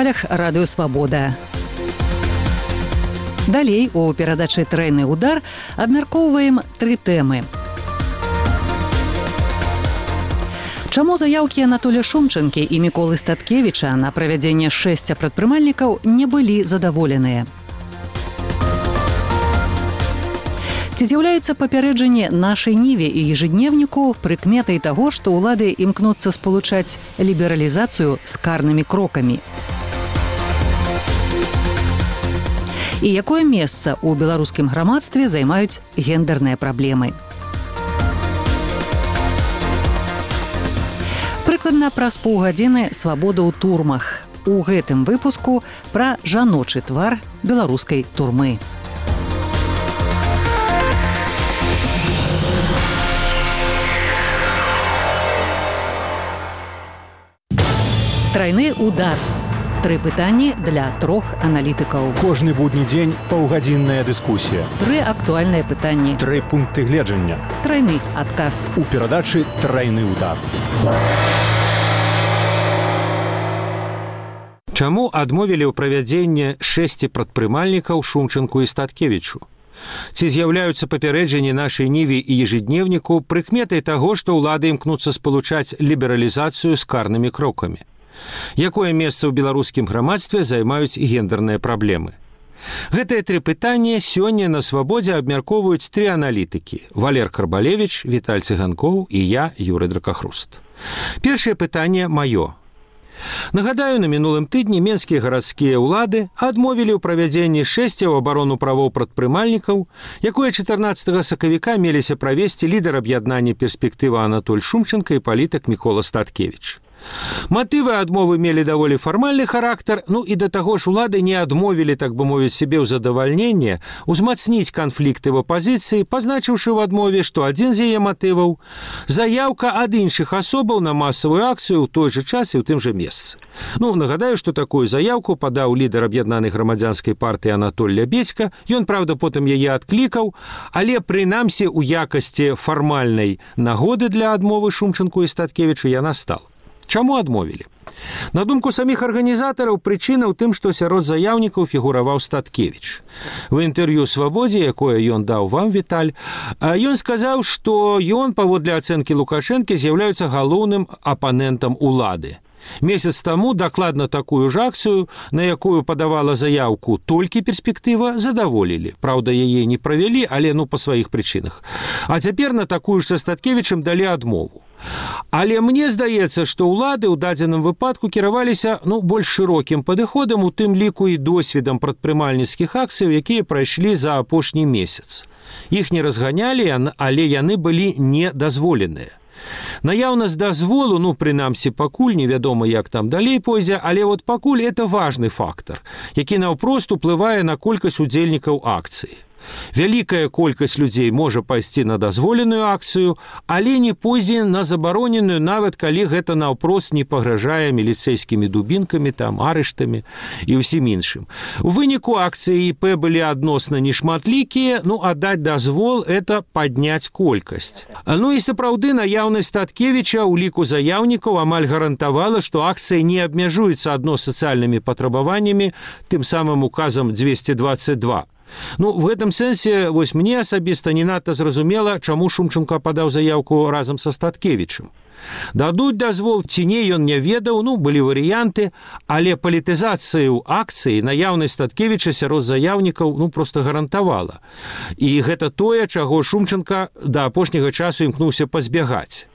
хвалях радыё «Свабода». Далей у перадачы «Трайны удар» абмяркоўваем 3 тэмы. Чаму заяўкі Анатолія Шумчанкі і Міколы Статкевіча на правядзенне 6 прадпрымальнікаў не былі задаволеныя? Ці з'яўляюцца папярэджанні нашай Ніве і ежедневніку прыкметай таго, што ўлады імкнуцца спалучаць лібералізацыю з карнымі крокамі? І якое месца ў беларускім грамадстве займаюць гендэрныя праблемы? Прыкладна праз паўгадзіны свабода ў турмах. У гэтым выпуску пра жаночы твар беларускай турмы. Трайны удар. 3 пытанні для 3 аналітыкаў. Кожны будні дзень паўгадзінная дыскусія. 3 актуальныя пытанні. 3 пункты гледжання. Трайны адказ. У перадачы «Трайны удар». Чаму адмовілі ў правядзенні 6 прадпрымальнікаў Шумчанку і Статкевічу? Ці з'яўляюцца папярэджанні нашай Ніве і ежедневніку прыкметай таго, што ўлады імкнуцца спалучаць лібералізацыю з карнымі крокамі? Якое месца ў беларускім грамадстве займаюць гендэрныя праблемы? Гэтыя 3 пытанні сёння на «Свабодзе» абмяркоўваюць 3 аналітыкі: Валер Карбалевіч, Віталь Цыганкоў і я, Юрый Дракахруст. Першае пытанне маё. Нагадаю, на мінулым тыдні менскія гарадскія ўлады адмовілі ў правядзенні 6 у абарону правоў прадпрымальнікаў, якое 14 сакавіка меліся правесці лідар аб'яднання «Перспектыва» Анатоль Шумчанка і палітык Мікола Статкевіч. Матывы адмовы мелі даволі фармальны характар, і да таго ж улады не адмовілі, так бы мовіць, себе ў задавальненне узмацніць канфлікты в апазіцыі, пазначыўшы ў адмове, што адзін з яе матываў – заяўка ад іншых асобаў на масавую акцыю ў той жа час і ў тым жа месцы. Нагадаю, што такую заяўку падаў лідар аб'яднанай грамадзянскай партыі Анатоль Лябедзька. Ён, правда, потым яе адклікаў, але прынамсі ў якасці фармальнай нагоды для адмовы Шумчанку і Статкевічу яна стала. Чаму адмовілі? На думку саміх арганізатараў, прычына ў тым, што сярод заяўнікаў фігураваў Статкевіч. В інтэрв'ю «Свабодзе», якое ён даў вам, Віталь, ён сказаў, што ён, паводле ацэнкі Лукашэнкі, з'яўляецца галоўным апанентам улады. Месяц таму дакладна такую ж акцыю, на якую падавала заяўку толькі «Перспектыва», задаволілі. Праўда, яе не правялі, але па сваіх прычынах. А цяпер на такую ж са Статкевічам далі адмову. Але мне здаецца, што ўлады ў дадзеным выпадку кіраваліся больш шырокім падыходам, у тым ліку і досведам прадпрымальніцкіх акцыяў, якія прайшлі за апошні месяц. Іх не разганялі, але яны былі недазволеныя. Наяўнасць дазволу, прынамсі, пакуль невядома, як там далей пойдзе, але пакуль это важны фактар, які наўпрост уплывае на колькасць удзельнікаў акцыі. Вялікая колькасць людзей можа пайсці на дазволеную акцыю, але не пойдзе на забароненую, нават калі гэта наўпрост не пагражае міліцэйскімі дубінкамі, арыштамі і ўсім іншым. У выніку акцыі ІП былі адносна нешматлікія, а даць дазвол – это падняць колькасць. І сапраўды наяўнасць Статкевіча ў ліку заяўнікаў амаль гарантавала, што акцыя не абмяжуецца адно сацыяльнымі патрабаваннямі, тым самым указам 222. В гэтым сэнсе мне асабіста не надта зразумела, чаму Шумчанка падаў заяўку разам са Статкевічам. Дадуць дазвол ці не, ён не ведаў, былі варыянты, але палітызацыю акцыі наяўнасць Статкевіча сярод заяўнікаў проста гарантавала. І гэта тое, чаго Шумчанка да апошняга часу імкнуўся пазбягаць.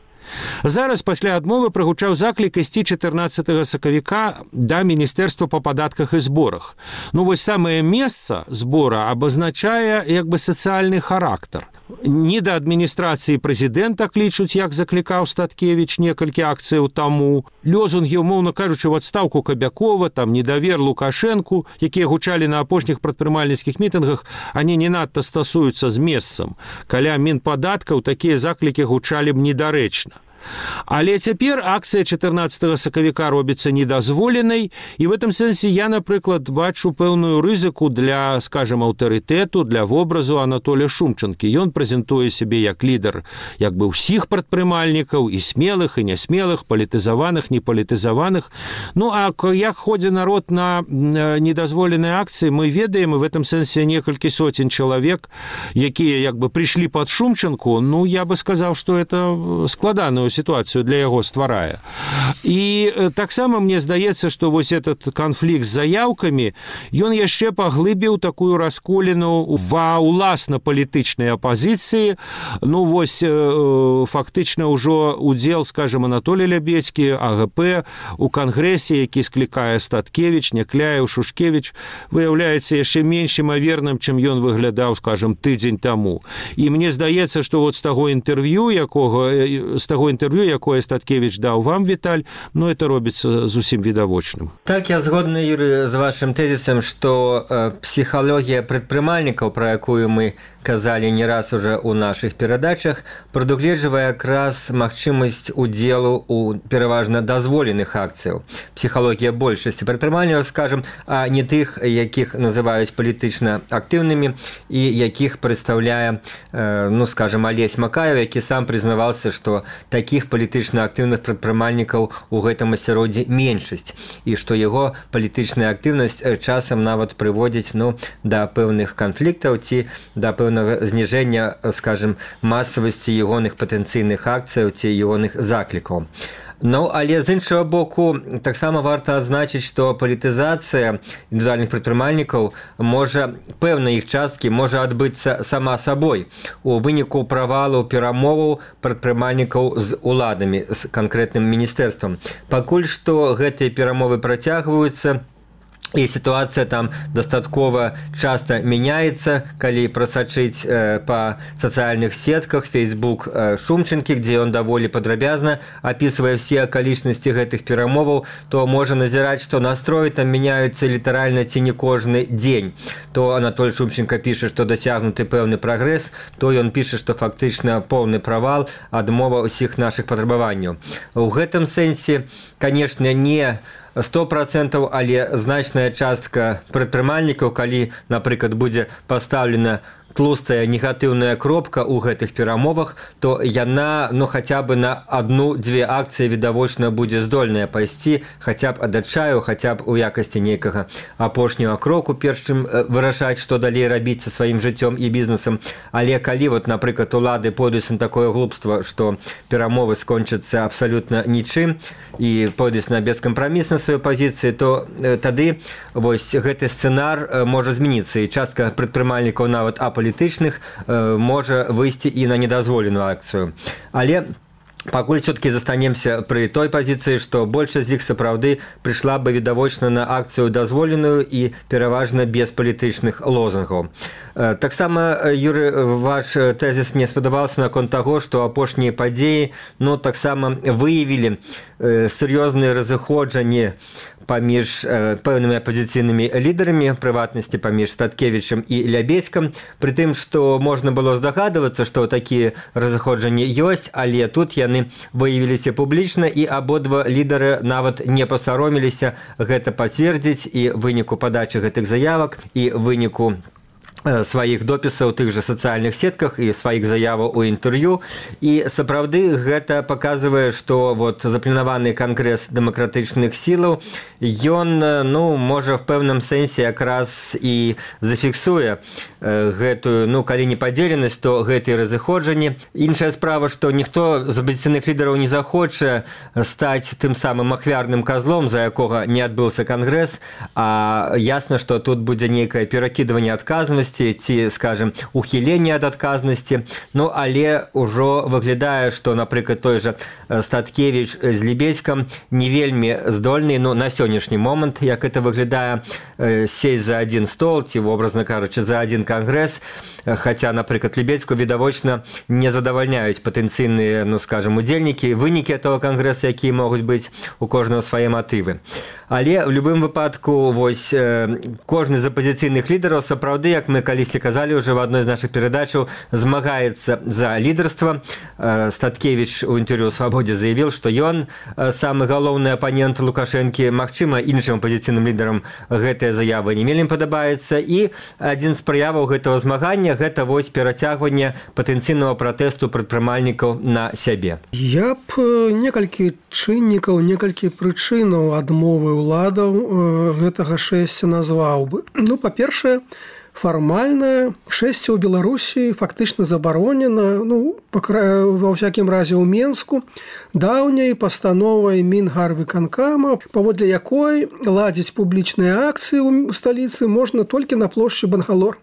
Зараз пасля адмовы прагучаў заклік ісці 14 сакавіка да Міністэрства па падатках і зборах. Самае месца збора абазначае сацыяльны характар. Не да адміністрацыі прэзідэнта клічуць, як заклікаў Статкевіч некалькі акцыяў таму. Лёзунгі, умоўна кажучы, ў адстаўку Кабякова, недавер Лукашэнку, якія гучалі на апошніх прадпрымальніцкіх мітынгах, они не надта стасуюцца з месцам. Каля Мінпадаткаў такія заклікі гучалі б недарэчна. Але цяпер акцыя 14 сакавіка робіцца недазволенай, і в этом сэнсе я, напрыклад, бачу пэўную рызыку для, скажем, аўтарытэту, для вобразу Анатолія Шумчанкі. Ён прэзентуе сябе як лідар як бы ўсіх прадпрымальнікаў, і смелых, і нясмелых, палітызаваных, непалітызаваных. Ну, а як ходзе народ на недазволеныя акцыі, мы ведаем, і в этом сэнсе некалькі сотень чалавек, якія як бы прыйшлі пад Шумчанку, ну, я бы сказаў, што это складаную ситуацию для яго стварае. І таксама мне здаецца, што вось этот канфлікт з заяўкамі, ён яшчэ паглыбіў такую расколіну ва ўласна палітычнай апазіцыі. Ну, вось фактычна ўжо удзел, скажем, Анатолий Лябедзькі, АГП у кангрэсе, які склікае Статкевіч, Някляеў, Шушкевіч, выяўляецца яшчэ менш імаверным, чым ён выглядаў, скажем, тыдзень таму. І мне здаецца, што вот з таго інтэрв'ю, якое Статкевіч даў вам, Віталь, ну, это робіцца зусім відавочным. Так, я згодны, Юрый, з вашым тэзісам, што псіхалогія прадпрымальнікаў, пра якую мы казалі не раз уже ў нашых перадачах, прадугледжвае якраз магчымасць удзелу ў пераважна дазволеных акцыяў. Псіхалогія большасці прадпрымальнікаў, скажем, а не тых, якіх называюць палітычна актыўнымі і якіх прадстаўляе, ну, скажем, Алесь Макаев, які сам прызнаваўся, што такіх палітычна актыўных прадпрымальнікаў у гэтым асяроддзі меншасць, і што яго палітычная актыўнасць часам нават прыводзіць, ну, да пэўных канфліктаў ці да пэўнага зніжэння, скажем, масавасці ягоных патэнцыйных акцыяў ці ягоных заклікаў. Ну, але з іншага боку, таксама варта адзначыць, што палітызацыя індывідуальных прадпрымальнікаў можа, пэўна іх часткі можа адбыцца сама сабой у выніку правалу перамоваў прадпрымальнікаў з уладамі, з канкрэтным міністэрствам. Пакуль што гэтыя перамовы працягваюцца, і сітуацыя там дастаткова часта мяняецца, калі прасачыць па сацыяльных сетках Facebook Шумчанкі, дзе ён даволі падрабязна апісвае ўсе акалічнасці гэтых перамоваў, то можа назіраць, што настроі там мяняюцца літаральна ці не кожны дзень. То Анатоль Шумчанка піша, што дасягнуты пэўны прагрэс, то ён піша, што фактычна поўны правал, адмова ўсіх нашых патрабаванняў. У гэтым сэнсе, канешне, не 100%, але значная частка прадпрымальнікаў, калі, напрыклад, будзе пастаўлена тлустая негатыўная кропка ў гэтых перамовах, то яна, ну, хаця бы на 1-2 акцыі відавочна будзе здольная пайсці, хаця б ад адчаю, хаця б у якасці нейкага апошняга кроку, перш чым вырашаць, што далей рабіць са сваім жыццём і бізнесам. Але калі, вот, напрыклад, улады пойдуць на такое глупства, што перамовы скончацца абсалютна нічым і пойдуць на бескампраміс на сваёй пазіцыі, то тады вось гэты сцэнар можа змяніцца, і частка прадпрымальнікаў нават апалітычных можа выйсці і на недазволеную акцыю. Але пакуль все-таки застанемся пры той пазіцыі, што большасць з іх сапраўды прыйшла бы відавочна на акцыю дазволеную і пераважна без палітычных лозунгаў. Таксама, Юрый, ваш тэзіс мне спадабаўся наконт таго, што апошнія падзеі, ну, таксама выявілі сур'ёзныя разыходжанні паміж пэўнымі апазіцыйнымі лідарамі, прыватнасці паміж Статкевічам і Лябедзькам, пры тым, што можна было здагадвацца, што такія разыходжанні ёсць, але тут яны выявіліся публічна, і абодва лідары нават не пасаромеліся гэта пацвердзіць, і выніку падачы гэтых заявак, і выніку сваіх допісаў у тых жа сацыяльных сетках і сваіх заяваў у інтэрв'ю. І сапраўды гэта паказвае, што вот запланаваны кангрэс дэмакратычных сілаў, ён, ну, можа в пэўным сэнсе якраз і зафіксуе гэтую, ну, калі не падзеленасць, то гэтыя разыходжанні. Іншая справа, што ніхто з апазіцыйных лідараў не захоча стаць тым самым ахвярным казлом, за якога не адбыўся кангрэс, а ясна, што тут будзе нейкае перакідванне адказнасці ці, скажем, ухіленне ад адказнасці. Ну, але ўжо выглядае, што, напрыклад, той жа Статкевіч з Лябедзькам не вельмі здольны, ну, на сённяшні момант, як это выглядае, сесть за адзін стол ці, образна кажучы, за адзін кангрэс, хаця, напрыклад, Лябедзьку відавочна не задавальняюць патэнцыйныя, ну, скажем, удзельнікі, вынікі этого кангрэса, якія могуць быць у кожнага свае матывы. Але ў любым выпадку, вось, кожны з апазіцыйных лідараў сапраўды, як мы мы калісьці казалі уже в одной из наших передачаў, змагаецца за лідарства. Статкевич у інтэрв'ю «Свабодзе» заявіў, што ён самы галоўны апанент Лукашэнкі. Магчыма, іншым апазіцыйным лідарам гэтая заява не вельмі падабаецца. І адзін з праяваў гэтага змагання – гэта вось перацягванне патэнцыйнага пратэсту прадпрымальнікаў на сябе. Я б некалькі чыннікаў, некалькі прычынаў адмовы ўладаў гэтага шэсця назваў бы. Ну, па-першае, фармальна шэсце ў Беларусі фактычна забаронена, ва ўсякім разе ў Менску, даўняй пастановай Мінгарвыканкама, паводле якой ладзіць публічныя акцыі ў сталіцы можна толькі на плошчы Бангалор.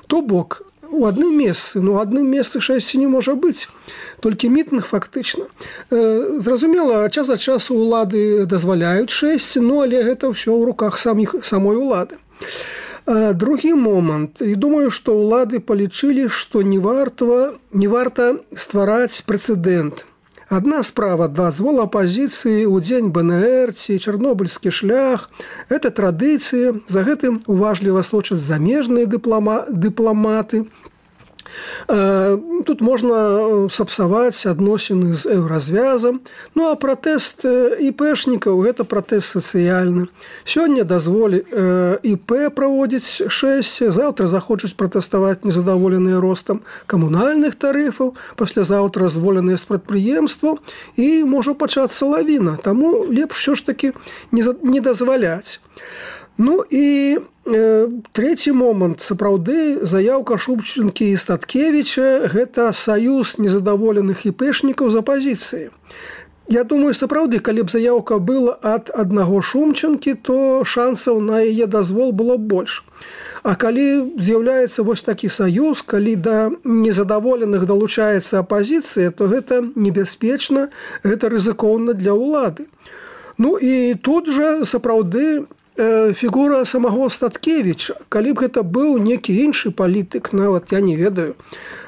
То бок, у адным месцы шэсце не можа быць, толькі мітынг фактычна. Зразумела, час ад часу ўлады дазваляюць шэсце, але гэта ўсё ў руках самой улады. Другі момант. І думаю, што ўлады палічылі, што не варта ствараць прэцэдэнт. Адна справа дазвол апазіцыі ў дзень БНР ці чарнобыльскі шлях. Гэта традыцыя, за гэтым уважліва сочаць замежныя дыпламаты. Тут можна сапсаваць адносіны з еўразвязам. А пратэст ІПшнікаў – гэта пратэст сацыяльны. Сёння дазволі ІП праводзіць шэсце, заўтра захочуць пратэставаць незадаволеныя ростам камунальных тарыфаў, паслязаўтра зволеныя з прадпрыемстваў, і можа пачацца лавіна. Таму лепш усё ж такі не дазваляць. І трэці момант. Сапраўды, заяўка Шумчынкі і Статкевіча – гэта саюз незадаволеных іпэшнікаў з апазіцыі. Я думаю, сапраўды, калі б заяўка была ад аднаго Шумчынкі, то шансаў на яе дазвол было больш. А калі з'яўляецца вось такі саюз, калі да незадаволеных далучаецца апазіцыя, то гэта небяспечна, гэта рызыкоўна для ўлады. І тут жа сапраўды фігура самого Статкевіча. Калі б гэта быў некі іншы палітык, нават я не ведаю,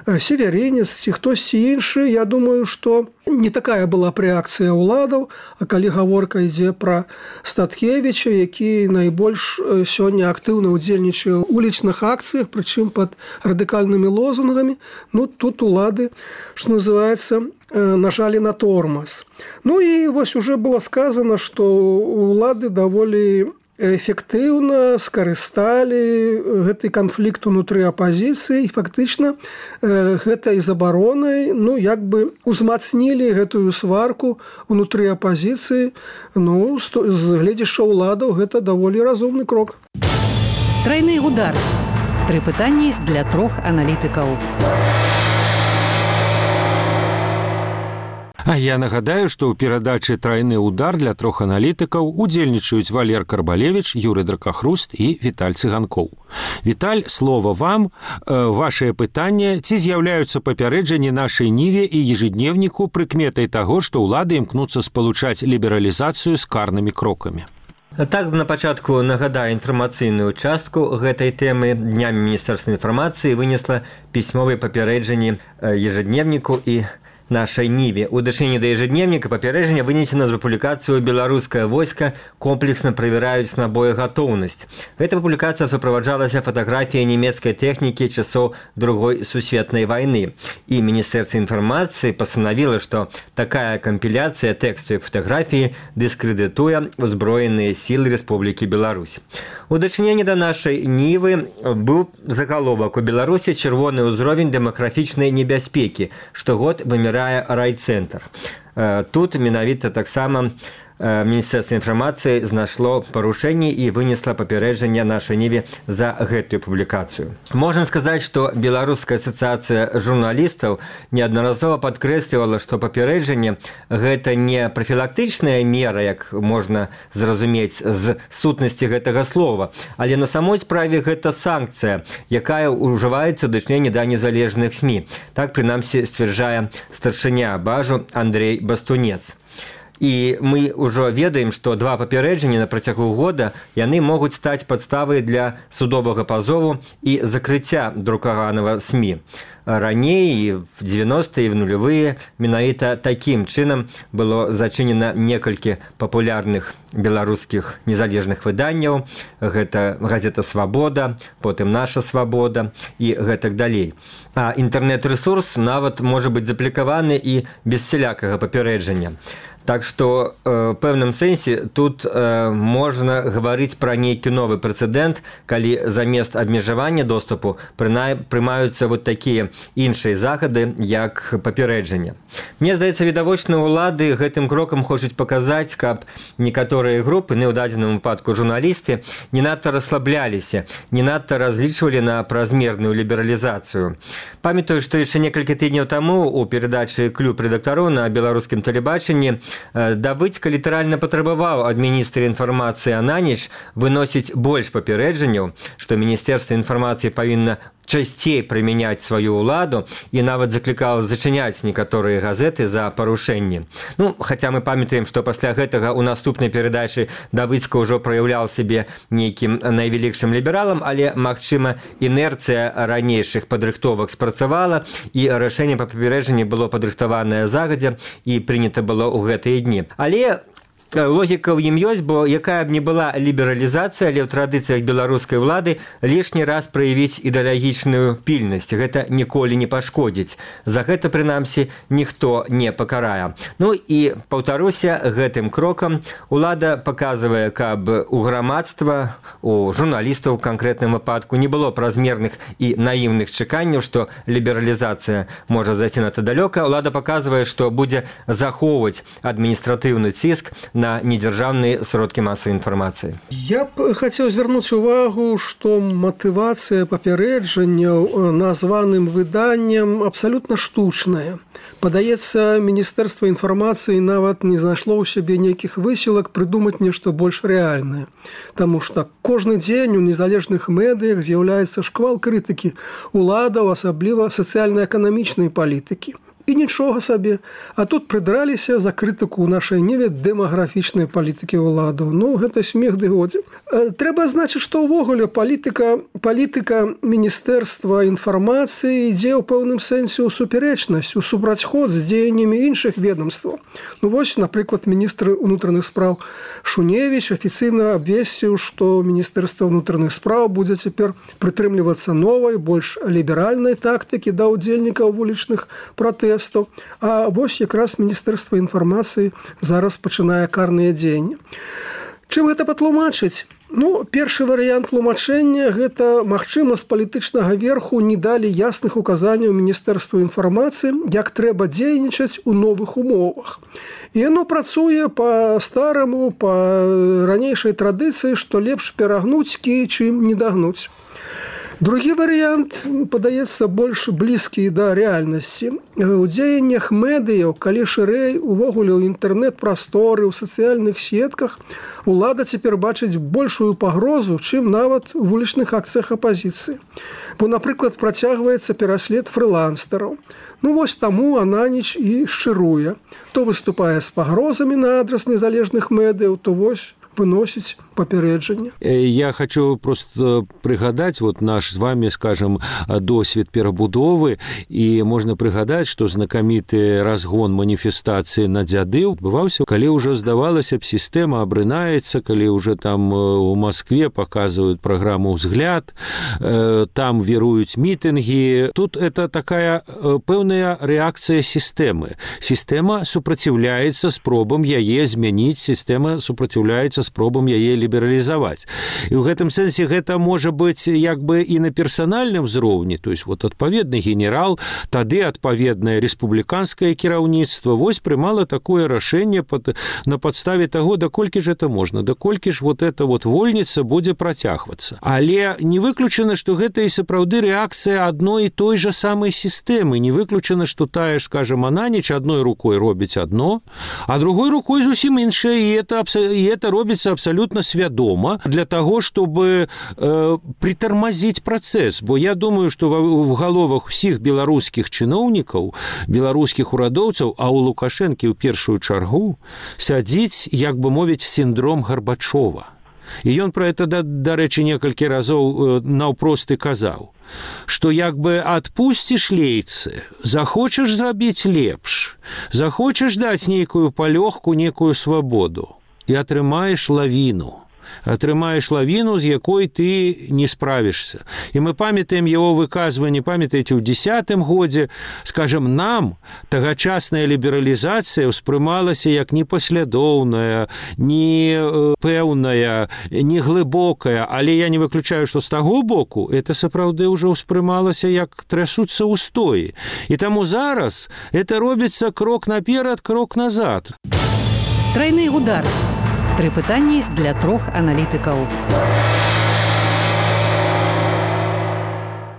северинец ці хтосьці іншы, я думаю, што не такая была б рэакцыя ўладаў, а калі гаворка ідзе пра Статкевіча, які найбольш сёння актыўна ўдзельнічае ў улічных акцыях, прычым пад радыкальнымі лозунгамі, тут улады, што называецца, нажалі на тормоз. І вось уже было сказано, што улады даволі эфектыўна скарысталі гэты канфлікт унутры апазіцыі, і фактычна гэтай забаронай узмацнілі гэтую сварку унутры апазіцыі. З гледзяшча ўладаў гэта даволі разумны крок. Трайны удар. 3 пытанні для 3 аналітыкаў. А я нагадаю, што ў перадачы «Трайны удар» для 3 аналітыкаў удзельнічаюць Валер Карбалевіч, Юрый Дракахруст і Віталь Цыганкоў. Віталь, слова вам. Вашае пытанне: ці з'яўляюцца папярэджанні нашай ніве і ежедневніку прыкметай таго, што ўлады імкнуцца спалучаць лібералізацыю з карнымі крокамі? Так, на пачатку нагадаю інфармацыйную частку гэтай тэмы. Днямі Міністэрства інфармацыі вынесла пісьмовыя папярэджанні ежедневніку і нашай ніве. У дачыненні да ежедневніка папярэджання вынесена з публікацыю «Беларускае войска комплексна правяраюць на боегатоўнасць». Гэта публікацыя суправаджалася фатаграфіяй нямецкай тэхнікі часоў Другой сусветнай вайны. І Міністэрства інфармацыі пастанавіла, што такая кампіляцыя тэксту і фатаграфіі дыскрэдытуе ўзброеныя сілы Рэспублікі Беларусь. У дачыненні да нашай нівы быў загаловак: у Беларусі чырвоны ўзровень дэмаграфічнай небяспекі. Штогод вымірае райцэнтр. Тут менавіта таксама Міністэрства інфармацыі знайшло парушэнні і вынесла папярэджанне нашай ніве за гэтую публікацыю. Можна сказаць, што Беларуская асацыяцыя журналістаў неаднаразова падкрэслівала, што папярэджанне – гэта не прафілактычная мера, як можна зразумець з сутнасці гэтага слова, але на самой справе гэта санкцыя, якая ўжываецца ў дачыненні да незалежных СМІ. Так, прынамсі, сцвярджае старшыня Бажу Андрей Бастунец. І мы ўжо ведаем, што 2 папярэджання на працягу года яны могуць стаць падставай для судовага пазову і закрыцця друкаванага СМІ. Раней, в 90-е і в нулевые, менавіта такім чынам было зачынена некалькі папулярных беларускіх незалежных выданняў. Гэта газета «Свабода», потым «Наша свабода» і гэтак далей. А інтэрнэт-рэсурс нават можа быць заплікаваны і без сялякага папярэджання. Так што в пэўным сэнсе тут можна гаварыць пра нейкі новы прэцэдэнт, калі замест абмежавання доступу прымаюцца вот такія іншыя захады, як папярэджання. Мне здаецца, відавочна, улады гэтым крокам хочуць паказаць, каб некаторыя групы, у дадзеным выпадку журналісты, не надта расслабляліся, не надта разлічвалі на празмерную лібералізацыю. Памятаю, што яшчэ некалькі тыдняў таму у перадачы «Клуб рэдактароў» на беларускім тэлебачанні Давыдзька літаральна патрабаваў ад міністра інфармацыі Ананіч выносіць больш папярэджанняў, што Міністэрства інфармацыі павінна часцей прымяняць сваю ўладу і нават заклікаў зачыняць некаторыя газеты за парушэнні. Хаця мы памятаем, што пасля гэтага ў наступнай перадачы Давыдзька ўжо праяўляў сябе нейкім найвялікшым лібералам, але, магчыма, інерцыя ранейшых падрыхтовак спрацавала, і рашэнне па папярэджанні было падрыхтаванае загадзя і прынята было ў гэтыя дні. Але логіка ў ім ёсць, бо якая б не была лібералізацыя, але ў традыцыях беларускай улады лішні раз праявіць ідэалагічную пільнасць. Гэта ніколі не пашкодзіць. За гэта, прынамсі, ніхто не пакарае. І, паўтаруся, гэтым крокам улада паказвае, каб у грамадства, у журналістаў у канкрэтным выпадку не было празмерных і наіўных чаканняў, што лібералізацыя можа зайсці надта далёка. Улада паказвае, што будзе захоўваць адміністратыўны ціск на недзяржаўныя сродкі масавай інфармацыі. Я б хацеў звярнуць увагу, што матывацыя папярэджанняў названым выданням абсалютна штучная. Падаецца, Міністэрства інфармацыі нават не знайшло ў сябе нейкіх высілак прыдумаць нешта больш рэальнае. Таму што кожны дзень у незалежных медыях з'яўляецца шквал крытыкі уладаў, асабліва сацыяльна-эканамічнай палітыкі. І нічога сабе. А тут прыдраліся за крытыку ў нашай ніве дэмаграфічнай палітыкі ўладаў. Гэта смех ды годзе. Трэба адзначыць, што ўвогуле палітыка Міністэрства інфармацыі ідзе ў пэўным сэнсе ў супярэчнасць, у супрацьход з дзеяннямі іншых ведомстваў. Вось, напрыклад, міністр унутраных спраў Шуневіч афіцыйна абвесціў, што Міністэрства ўнутраных спраў будзе цяпер прытрымлівацца новай, больш ліберальнай тактыкі да ўдзельнікаў вулічных пратэстаў. А вось якраз Міністэрства інфармацыі зараз пачынае карныя дзеянні. Чым гэта патлумачыць? Першы варыянт тлумачэння – гэта, магчыма, з палітычнага верху не далі ясных указанняў Міністэрству інфармацыі, як трэба дзейнічаць у новых умовах. І яно працуе па-стараму, па ранейшай традыцыі, што лепш перагнуць кій, чым не дагнуць. Другі варыянт, падаецца, больш блізкі да рэальнасці. У дзеяннях медыяў, калі шырэй увогуле ў інтэрнэт-прасторы, у сацыяльных сетках, улада цяпер бачыць большую пагрозу, чым нават у вулічных акцыях апазіцыі. Бо, напрыклад, працягваецца пераслед фрылансераў. Вось таму Ананіч і шчыруе. То выступае з пагрозамі на адрас незалежных медыяў, то вось выносіць папярэджанне. Я хочу просто прыгадаць наш з вами, скажем, досвед перабудовы, і можна прыгадаць, што знакаміты разгон маніфестацыі на дзяды адбываўся, калі ўжо, здавалася б, сістэма абрынаецца, калі ўжо там у Маскве паказваюць праграму «Взгляд», там віруюць мітынгі. Тут это такая пэўная рэакцыя сістэмы. Сістэма супраціўляецца спробам яе змяніць, сістэма супраціўляецца спробам яе лібералізаваць. І ў гэтым сэнсе гэта можа быць як бы і на персанальным узроўні, то есть адпаведны генерал, тады адпаведнае рэспубліканскае кіраўніцтва прымала такое рашэнне на падставе таго, даколькі ж это можна, даколькі ж эта вольніца будзе працягвацца. Але не выключана, што гэта і сапраўды рэакцыя адной і той жа самай сістэмы. Не выключана, што тая ж, скажем, Ананіч адной рукой робіць адно, а другой рукой зусім іншае, і это робіць робіцца абсалютна свядома для таго, чтобы притормозить працэс. Бо я думаю, што в галовах усіх беларускіх чыноўнікаў, беларускіх урадоўцаў, а ў Лукашэнкі ў першую чаргу сядзіць, як бы мовіць, сіндром Гарбачова. І ён пра гэта, дарэчы, некалькі разоў наўпрост і казаў, што як бы адпусціш лейцы, захочаш зрабіць лепш, захочаш даць нейкую палёгку, некую свабоду, і атрымаеш лавіну, з якой ты не справішся. І мы памятаем яго выказванне, памятаеце, ў 10-м годзе, скажем, нам тагачасная лібералізацыя ўспрымалася як непаслядоўная, не пэўная, не глыбокая, але я не выключаю, што з таго боку это сапраўды ўжо ўспрымалася як трасуцца ўстоі. І таму зараз это робіцца крок наперад, крок назад. Трайны удар. 3 пытанні для 3 аналітыкаў.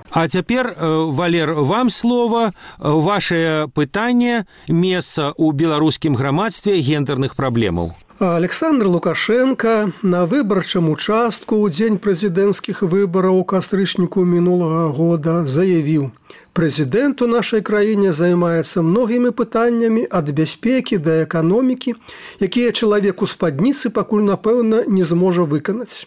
А цяпер, Валер, вам слова. Ваше пытанне месца ў беларускім грамадстве гендерных праблемаў. Александр Лукашенко на выбарчым участку ў дзень прэзідэнцкіх выбараў у кастрычніку мінулага года заявіў: «Прэзідэнт у нашай краіне займаецца многімі пытаннямі ад бяспекі да эканомікі, якія чалавек у спадніцы пакуль, напэўна, не зможа выканаць».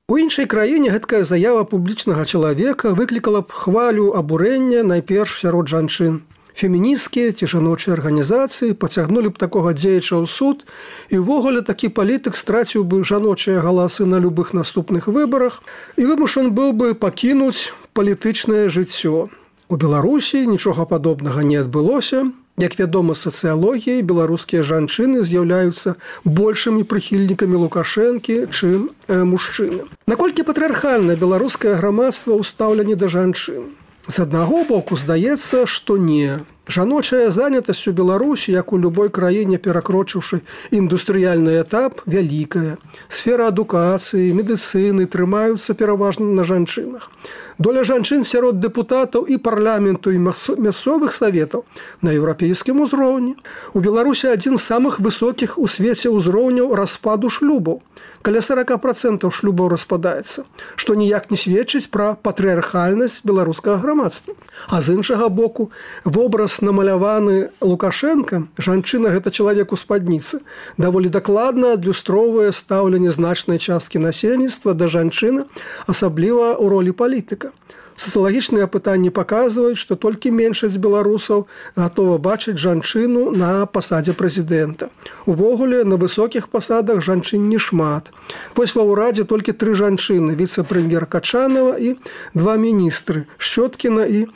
У іншай краіне гэткая заява публічнага чалавека выклікала б хвалю абурэння найперш сярод жанчын. Фемінісцкія ці жаночыя арганізацыі пацягнулі б такога дзеяча ў суд, і ўвогуле такі палітык страціў бы жаночыя галасы на любых наступных выбарах і вымушан быў бы пакінуць палітычнае жыццё. У Беларусі нічога падобнага не адбылося. Як вядома з сацыялогіі, беларускія жанчыны з'яўляюцца большымі прыхільнікамі Лукашэнкі, чым мужчыны. Наколькі патрыархальнае беларускае грамадства ў стаўленні да жанчын? З аднаго боку здаецца, што не. Жаночая занятасць у Беларусі, як у любой краіне, перакрочыўшы індустрыяльны этап, вялікая. Сфера адукацыі, медыцыны трымаюцца пераважна на жанчынах. Доля жанчын сярод дэпутатаў і парламенту і мясцовых саветаў на еўрапейскім узроўні. У Беларусі адзін з самых высокіх у свеце ўзроўняў распаду шлюбаў. Каля 40% шлюбаў распадаецца, што ніяк не сведчыць пра патрыархальнасць беларускага грамадства. А з іншага боку, вобраз намаляваны Лукашенко, жанчына гэта чалавек у спадніцы, даволі дакладна адлюстроўвае стаўленне значнай часткі насельніцтва да жанчыны, асабліва ў ролі палітыка. Сацыялагічныя апытанні паказваюць, што толькі меншасць беларусаў гатова бачыць жанчыну на пасадзе прэзідэнта. Увогуле, на высокіх пасадах жанчын не шмат. Вось ва ўрадзе толькі 3 жанчыны, віцэ-прэм'ер Качанова і 2 міністры – Шчоткіна і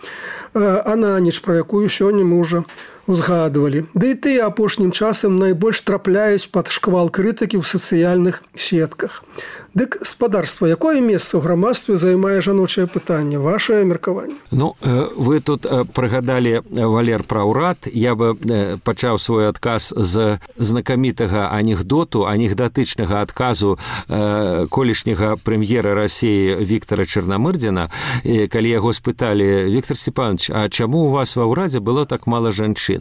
Ананіч, пра якую сёння мы ўжо узгадывалі. Да і тыя апошнім часам найбольш трапляюць пад шквал крытыкі ў сацыяльных сетках. Дык, спадарства, якое месца ў грамадстве займае жаночае пытанне? Вашае меркаванне? Ну, вы тут прыгадалі, Валер, пра ўрад. Я бы пачаў свой адказ з знакамітага анекдотычнага адказу колішняга прэм'ера Расіі Віктора Чарнамырдзіна, калі яго спыталі: «Віктор Степанович, а чаму у вас ва ўрадзе было так мала жанчын?»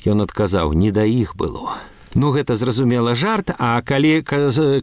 Ён адказаў: «Не да іх было». Ну, гэта, зразумела, жарт, а калі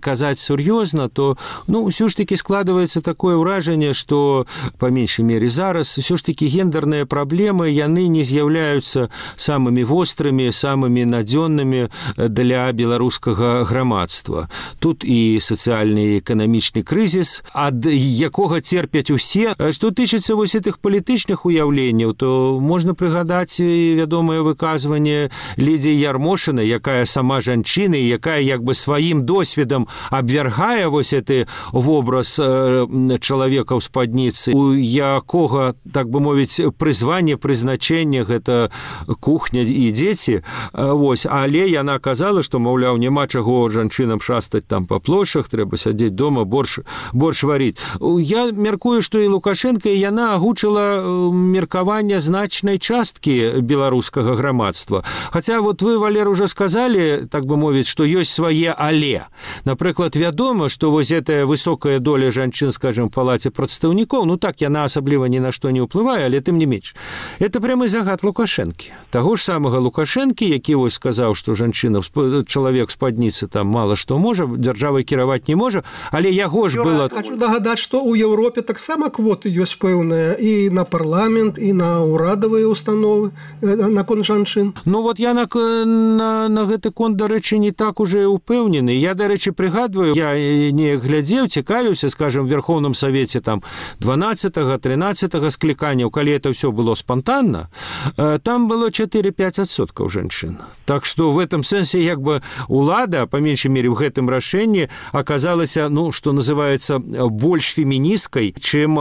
казаць сур'ёзна, то, ўсё ж такі складваецца такое ўражанне, што, па меншай мере зараз, ўсё ж такі гендерныя праблемы, яны не з'яўляюцца самымі вострымі, самымі надзённымі для беларускага грамадства. Тут і сацыяльны і эканамічны крызіс, ад якога церпяць усе. Што тычыцца вось гэтых палітычных уяўленняў, то можна прыгадаць вядомае выказванне Лідзіі Ярмошынай, якая сама жанчына, якая як бы сваім досведам абвяргае вось гэты вобраз чалавека ў спадніцы, у якога, так бы мовіць, прызванне, прызначэнне гэта кухня і дзеці. Вось, але яна казала, што, маўляў, няма чаго жанчынам шастаць там па плошах, трэба сядзець дома, борщ варіць. Я меркую, што і Лукашенко, і яна агучыла меркаванне значнай часткі беларускага грамадства. Хаця вот вы, Валер, уже сказалі, сказалі, так бы мовіць, што ёсць свае але. Напрыклад, вядома, што вось гэтая высокая доля жанчын, скажем, в палаце прадстаўнікоў, ну так, яна асабліва ні на што не ўплывае, але тым не менш. Это прямы загад Лукашэнкі. Таго ж самага Лукашэнкі, які вось сказаў, што жанчына, чалавек спадніцы там мала што можа, дзяржавай кіраваць не можа, але яго ж было... Хочу нагадаць, што ў Еўропе таксама квоты ёсць пэўныя і на парламент, і на ўрадавыя установы наконт жанчын. Ну вот я на гэты конт, дарэчы, не так уже упэўнены. Я, дарэчы, прыгадваю, я не глядзеў, цікавіўся, скажем, в Верховном Совете там 12-13 скліканняў, калі это все было спонтанно, там было 4-5% жанчын. Так что в этом сэнсе як бы улада, по меньшей мере, в гэтым рашэнні оказалася, ну, что называется, больш феміністкай, чым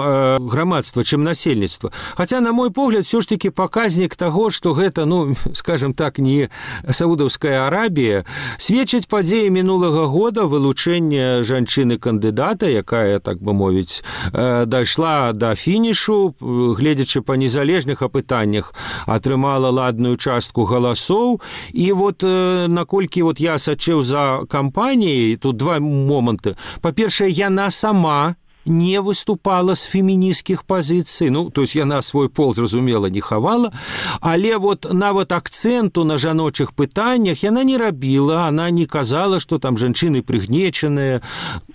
грамадства, чым насельніцтва. Хотя, на мой погляд, все ж таки показник того, что гэта, ну, скажем так, не Саудовская Арабія, сведчыць падзеі мінулага года вылучэння жанчыны-кандыдата, якая, так бы мовіць, дайшла да фінішу, гледзячы па незалежных апытаннях, атрымала ладную частку галасоў. І вот наколькі вот я сачыў за кампаніяй, тут два моманты. Па-першае, яна сама не выступала з фемінісцкіх пазіцый, ну, то есть яна свой пол, зразумела, не хавала, але вот нават акцэнту на жаночых пытаннях яна не рабіла, она не казала, што там жанчыны прыгнечаныя.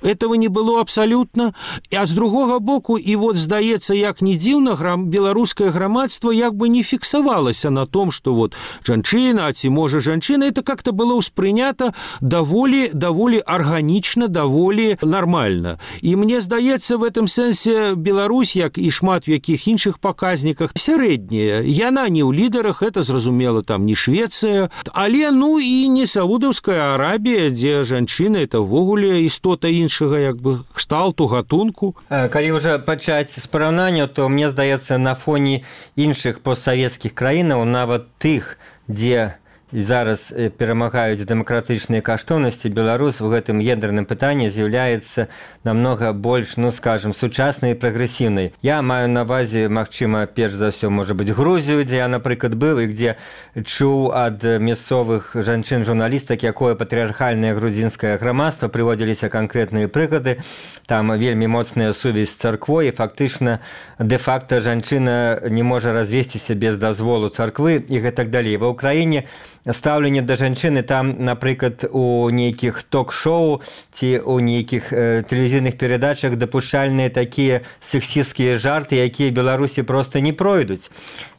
Этого не было абсалютна. А з другога боку, і вот, здаецца, як не дзіўна, беларускае грамадства як бы не фіксавалася на том, што вот жанчына, а ці можа жанчына, это как-то было ўспрынята даволі арганічна, даволі нармальна. І мне здаецца, в этом сэнсе Беларусь, як і шмат у якіх іншых паказніках, сярэдняя. Яна не ў лідарах, это зразумела, там не Швецыя, але, ну, і не Саудаўская Арабія, дзе жанчыны, это ввогуле істота іншага, як бы, кшталту, гатунку. Калі ўжо пачаць з параўнання, то мне здаецца, на фоне іншых постсавецкіх краінаў, нават тых, дзе зараз перамагаюць дэмакратычныя каштоўнасці, Беларусь у гэтым гендерным пытанні з'яўляецца намнога больш, ну, скажем, сучаснай і прагрэсіўнай. Я маю на ўвазе, магчыма, перш за ўсё, можа быць, Грузію, дзе я, напрыклад, быў, і дзе чуў ад мясцовых жанчын-журналістак, якое патрыархальнае грузінскае грамадства, прыводзіліся канкрэтныя прыклады, там вельмі моцная сувязь з царквой, і фактычна, дэ-факта жанчына не можа развесціся без дазволу царквы і гэтак далей. Ва ўкраіне стаўленне да жанчыны там, напрыклад, у нейкіх ток-шоу ці у нейкіх тэлевізійных перадачах дапушчальныя такія сексісцкія жарты, якія Беларусі проста не пройдуць.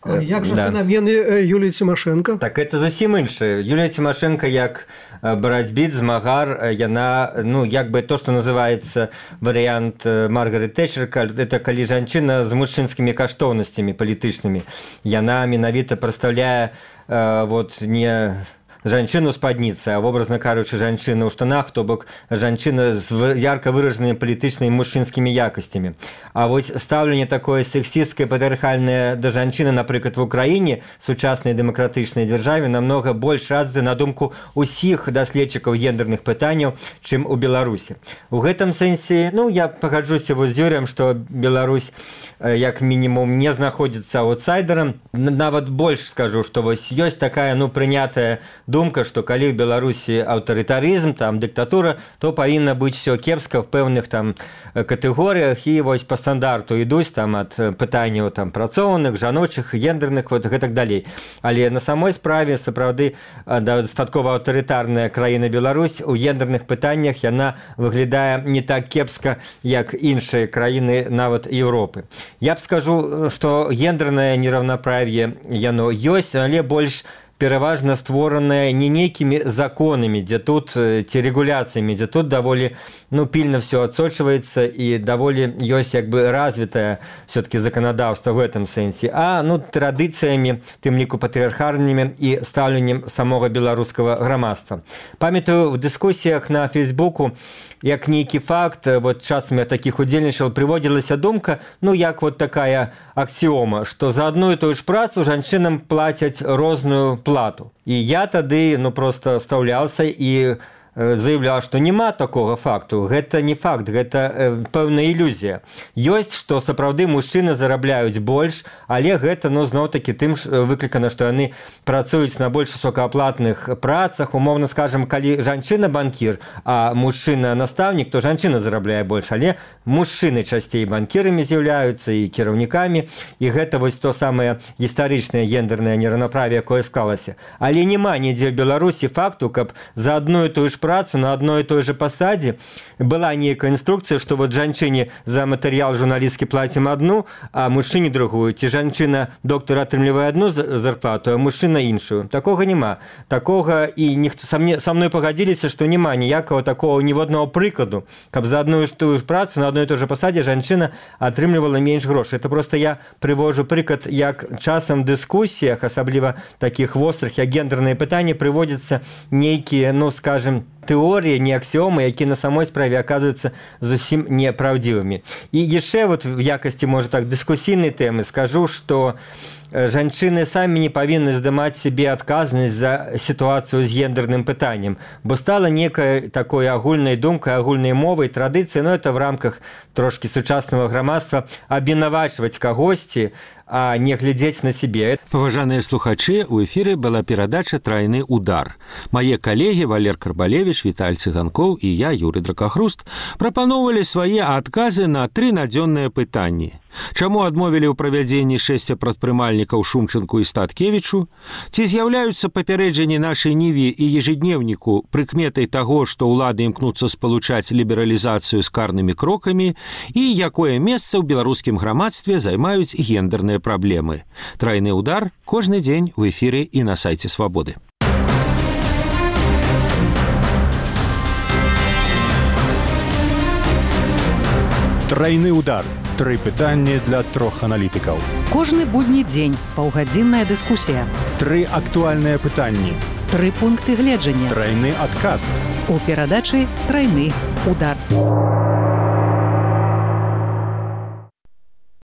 Як жа феномены Юліі Цімашэнка? Так это зусім іншае. Юлія Цімашэнка як барацьбіт, змагар, яна, ну, як бы то, што называецца варыянт Маргарет Тэтчер, это калі жанчына з мужчынскімі каштоўнасцямі палітычнымі. Яна менавіта прадстаўляе вот не жанчыну спадніцы, а образна кажучы, жанчыну ў штанах, то бок жанчына з ярка выражанымі палітычнымі мужчынскімі якасцямі. А вось стаўленне такое сексісцкае, патрыархальнае да жанчыны, напрыклад, в Украіне, сучаснай дэмакратычнай дзяржаве, намнога больш развіта, на думку ўсіх даследчыкаў гендерных пытанняў, чым у Беларусі. У гэтым сэнсе, ну, я пагаджуся з Юрыем, што Беларусь як мінімум не знаходзіцца аўтсайдерам. Нават больш скажу, што вось ёсць такая, ну, прынятая думка, што калі ў Беларусі аўтарытарызм, там дыктатура, то павінна быць все кепска в пэўных там катэгорыях, і вось па стандарту ідуць там ад пытанняў там працоўных, жаночых, гендерных, вот гэтак далей. Але на самой справе сапраўды дастаткова аўтарытарная краіна Беларусь у гендерных пытаннях яна выглядае не так кепска, як іншыя краіны нават Еўропы. Я б скажу, што гендернае нераўнаправ'е яно ёсць, але больш пераважна створанае не нейкімі законамі, дзе тут ці рэгуляцыямі, дзе тут даволі, ну, пільна все адсочваецца і даволі ёсць як бы развітае все-таки заканадаўства в гэтым сэнсе, а, ну, традыцыямі, тым ліку патрыархальнымі і стаўленнем самога беларускага грамадства. Памятаю, в дыскусіях на Фейсбуку, як нейкі факт, вот часам я такіх удзельнічаў, прыводзілася думка, ну, як вот такая аксіома, што за адну і тую ж працу жанчынам плацяць розную плату. І я тады, ну, просто стаўляўся і заявляў, што няма такога факту. Гэта не факт, гэта пэўная ілюзія. Ёсць, што сапраўды мужчыны зарабляюць больш, але гэта, зноў-такі тым выклікана, што яны працуюць на больш высокааплатных працах. Умоўна скажам, калі жанчына банкір, а мужчына настаўнік, то жанчына зарабляе больш, але мужчыны часцей банкірамі з'яўляюцца і кіраўнікамі, і гэта вось то самае гістарычнае гендернае нераўнаправе, якое склалася. Але няма нідзе ў Беларусі факту, каб за адну і тую ж працу на адной і той же пасадзе была нейкая інструкцыя, што вот жанчыне за матэрыял журналісткі плацім адну, а мужчыне другую. Ці жанчына доктар атрымлівае адну зарплату, а мужчына іншую. Такога няма. Такога і ніхто са мной пагадзіліся, што няма ніякага такого ніводнага прыкладу, каб за адну і тую ж працу на адной і той же пасадзе жанчына атрымлівала менш грошай. Это просто я прывожу прыклад, як часам в дыскусіях, асабліва такіх вострых, як гендерныя пытанні, прыводзяцца нейкія, скажем, тэории, не аксиомы, якія на самой справе оказываются зусім неправдивыми. И яшчэ вот в якости, может так, дискуссійнай тэмы скажу, что жанчыны самі не павінны здымаць себе адказнасць за сітуацыю з гендерным пытаннем, бо стала некай такой агульнай думкай, агульнай мовай, традыцыяй, это в рамках трошки сучаснага грамадства абвінавачваць кагосьці, а не глядзець на себе. Паважаныя слухачы, у эфіры была перадача «Трайны удар». Мае калегі Валер Карбалевіч, Віталь Цыганкоў і я, Юрый Дракахруст, прапаноўвалі свае адказы на 3 надзённыя пытанні. Чаму адмовілі ў правядзенні 6 прадпрымальнікаў Шумчанку і Статкевічу? Ці з'яўляюцца папярэджанні нашай ніве і ежедневніку прыкметай таго, што ўлады імкнуцца спалучаць лібералізацыю з карнымі крокамі, і якое месца ў беларускім грамадстве займаюць гендерныя праблемы? Трайны удар кожны дзень у эфіры і на сайце Свабоды. Трайны удар. 3 пытанні для 3 аналітыкаў. Кожны будні дзень паўгадзінная дыскусія. 3 актуальныя пытанні. 3 пункты гледжання. Трайны адказ. У перадачы «Трайны удар».